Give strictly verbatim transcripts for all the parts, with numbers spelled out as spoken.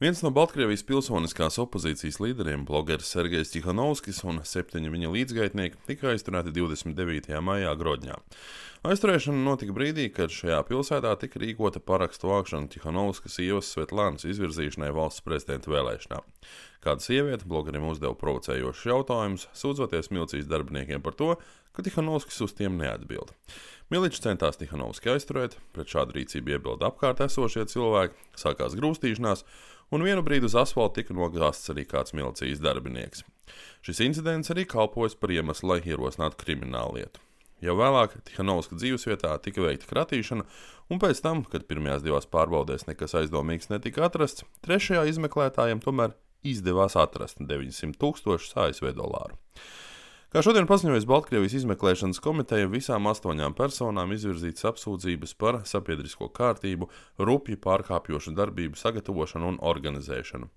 Viens no Baltkrievijas pilsoniskās opozīcijas līderiem, blogeris Sergejs Tihanovskis un septiņi viņa līdzgaitnieki tika aizturēti divdesmit devītajā maijā Grodņā. Aizturēšana notika brīdī, kad šajā pilsētā tika rīkota parakstu vākšana Tihanovskas sievas Svetlānas izvirzīšanai valsts prezidenta vēlēšanām. Kāda sieviete blogerim uzdeva provocējošus jautājumus, sūdzoties milicijas darbiniekiem par to, ka Tihanovskis uz tiem neatbild. Miliči centās Tihanovski aizturēt, pret šādu rīcību iebilda apkārt esošie cilvēki, sākās grūstīšanās, un vienu brīdi uz asfalta tika nogāzts arī kāds milicijas darbinieks. Šis incidents arī kalpojas par iemeslu, lai ierosinātu kriminālu lietu. Jau vēlāk Tihanovska dzīvesvietā tika veikta kratīšana, un pēc tam, kad pirmajās divās pārbaudēs nekas aizdomīgs netika atrasts, trešajā izmeklētājiem tomēr izdevās atrast deviņsimt tūkstošus A S V dolāru. Kā šodien paziņojas Baltkrievijas izmeklēšanas komiteja, visām astoņām personām izvirzītas apsūdzības par sabiedrisko kārtību, rupji pārkāpjošu darbību sagatavošanu un organizēšanu.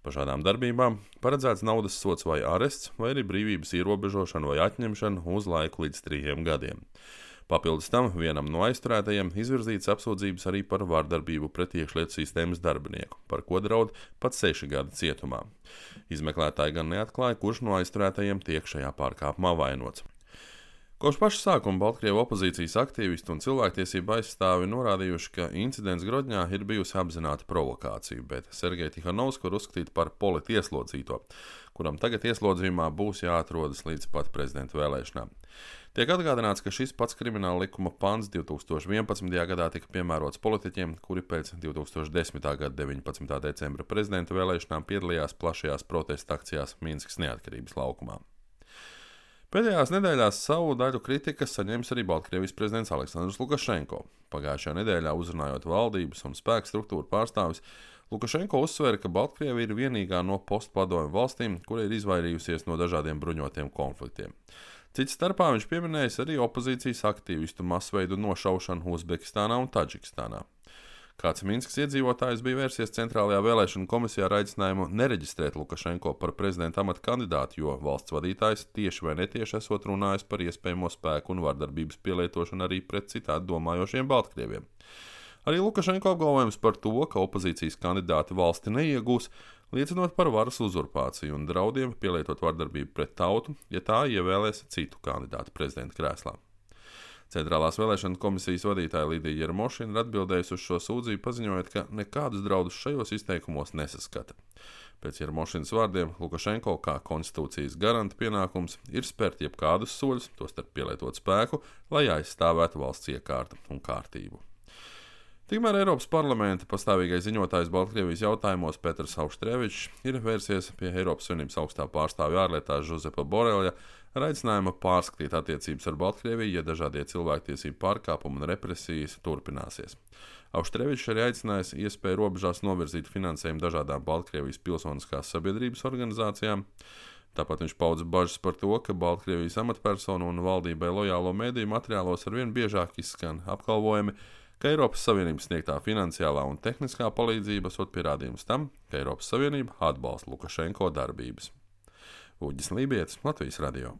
Par šādām darbībām paredzēts naudas sods vai arests, vai arī brīvības ierobežošana vai atņemšana uz laiku līdz trījiem gadiem. Papildus tam vienam no aizturētajiem izvirzītas apsūdzības arī par vardarbību pret iekšlietu sistēmas darbinieku, par ko draud pat seši gadi cietumā. Izmeklētāji gan neatklāja, kurš no aizturētajiem tiek šajā pārkāpumā vainots. Kopš paša sākuma Baltkrievu opozīcijas aktīvisti un cilvēktiesību aizstāvi norādījuši, ka incidents Grodņā ir bijusi apzināta provokācija, bet Sergeju Tihanovsku var uzskatīt par politieslodzīto, kuram tagad ieslodzījumā būs jāatrodas līdz pat prezidenta vēlēšanām. Tiek atgādināts, ka šis pats krimināla likuma pants divi tūkstoši vienpadsmitajā gadā tika piemērots politiķiem, kuri pēc divi tūkstoši desmitā gada deviņpadsmitā decembra prezidenta vēlēšanām piedalījās plašajās protesta akcijās Minskas neatkarības laukumā. Pēdējās nedēļās savu daļu kritikas saņēmis arī Baltkrievijas prezidents Aleksandrs Lukašenko. Pagājušajā nedēļā uzrunājot valdības un spēku struktūru pārstāvis, Lukašenko uzsvēra, ka Baltkrievija ir vienīgā no postpadomju valstīm, kura ir izvairījusies no dažādiem bruņotiem konfliktiem. Cits starpā viņš pieminējis arī opozīcijas aktīvistu masveidu nošaušanu Uzbekistānā un Tadžikistānā. Kāds Minskas iedzīvotājs bija vērsies Centrālajā vēlēšanu komisijā ar aicinājumu nereģistrēt Lukašenko par prezidenta amata kandidātu, jo valsts vadītājs tieši vai netieši esot runājis par iespējamo spēku un vardarbības pielietošanu arī pret citādi domājošiem Baltkrieviem. Arī Lukašenko apgalvojums par to, ka opozīcijas kandidāti valsti neiegūs, liecinot par varas uzurpāciju un draudiem pielietot vardarbību pret tautu, ja tā ievēlēs citu kandidātu prezidenta krēslā. Centrālās vēlēšana komisijas vadītāja Lidija Jermošina ir atbildējusi uz šo sūdzību, paziņojot, ka nekādus draudus šajos izteikumos nesaskata. Pēc Jermošinas vārdiem Lukašenko kā konstitūcijas garanta pienākums ir spērt jebkādus soļus, tostarp pielietot spēku, lai aizstāvētu valsts iekārtu un kārtību. Tikmēr Eiropas parlamenta pastāvīgais ziņotājs Baltkrievijas jautājumos Petrs Auštrevičs ir vērsies pie Eiropas Savienības augstā pārstāvja ārlietās Žozepa Boreļa ar aicinājumu pārskatīt attiecības ar Baltkrieviju, ja dažādie cilvēktiesību pārkāpumi un represijas turpināsies. Auštrevičs arī aicinājis iespēju robežās novirzīt finansējumu dažādām Baltkrievijas pilsoniskās sabiedrības organizācijām. Tāpat viņš paudza bažas par to, ka Baltkrievijas amatpersonu un valdībai lojālo mediju materiālos arvien biežāk izskan apgalvojumi, ka Eiropas Savienības sniegtā finansiālā un tehniskā palīdzība esot pierādījums tam, ka Eiropas Savienība atbalsta Lukašenko darbības. Uģis Lībietis, Latvijas radio.